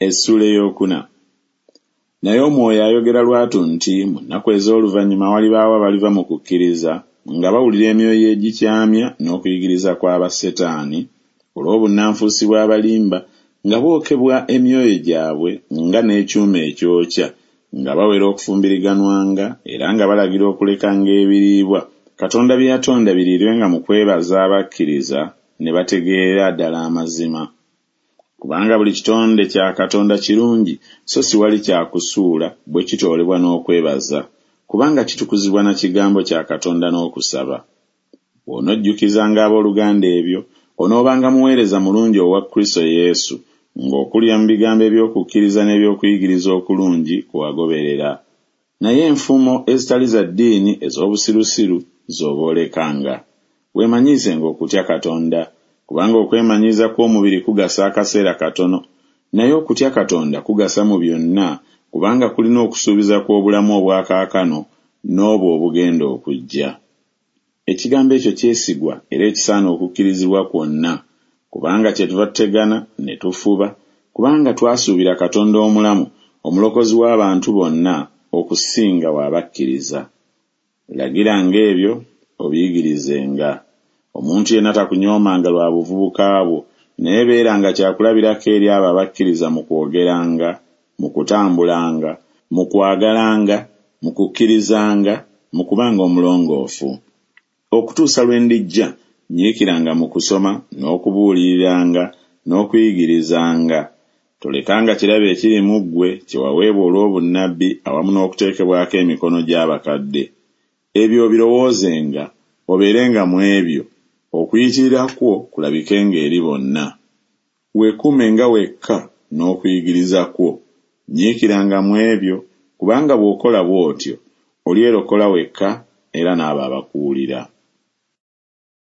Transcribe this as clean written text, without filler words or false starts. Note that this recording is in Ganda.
Essuula ey'okuna. Naye Omwoyo ayogera lwatu nti mu nnaku ez'oluvannyuma walibaawo abaliva mu kukkiriza, nga bawulira emyoyo egikyamya n'okuyigiriza kwa basetaani, olw'obunnanfuusi bw'abalimba, nga bookebwa emyoyo gyabwe nga n'ekyuma ekyokya, nga bawera okufumbiriganwanga, era nga balagira okulekanga ebiriibwa Katonda bye yatonda biriirwenga mu kwebaza abakkiriza ne bategeerera ddala amazima. Kubanga buli kitonde kya Katonda kirungi, so siwali kya kusuula bwe kitoolebwa n'okwebaza, kubanga kitukuzibwa na kigambo kya Katonda n'okusaba. Bw'onojjukizanga abooluganda ebyo, onoobanga muweereza mulungi owa Kristo Yesu, ng'okulira mu bigambo eby'okukkiriza n'eby'okuyigiriza okulungi kwe wagoberera. Naye enfumo ezitali za ddiini ez'obusirusiru z'oba olekanga. Weemanyiizenga okutya Katonda, kubanga okwemanyiiza kw'omubiri kugasa akaseera katono, naye okutya Katonda kugasa mu byonna, kubanga kulina okusuubiza kw'obulamu obwa kaakano n'obwo obugenda okujja. Ekigambo ekyo kyesigwa era ekisaana okukkirizibwa kwonna, kubanga kyetuva tutegana ne tufuba, kubanga twasuubira Katonda omulamu, Omulokozi w'abantu bonna, okusinga w'abakkiriza. Lagiranga ebyo, obiyigirizenga. Omuntu yenna takunyoomanga lwa buvubuka bwo, naye beeranga kyakulabirako eri abo abakkiriza mu kwogeranga, mu kutambulanga, mu kwagalanga, mu kukkirizanga, mu kubanga omulongoofu. Okutuusa lwe ndijja, nyiikiranga mu kusoma n'okubuuliriranga n'okuyigirizanga. Tolekanga kirabo ekiri mu ggwe kye waweebwa olw'obunnabbi awamu n'okuteekebwako emikono gy'abakadde. Ebyo obirowoozenga, obeerenga mu ebyo, okuyitirira kwo kulabikenga eri bonna. Weekuumenga wekka n'okuyigiriza kwo, nyiikiranga mu ebyo, kubanga bw'okola bw'otyo, olyerokola wekka era n'abo abakuwulira.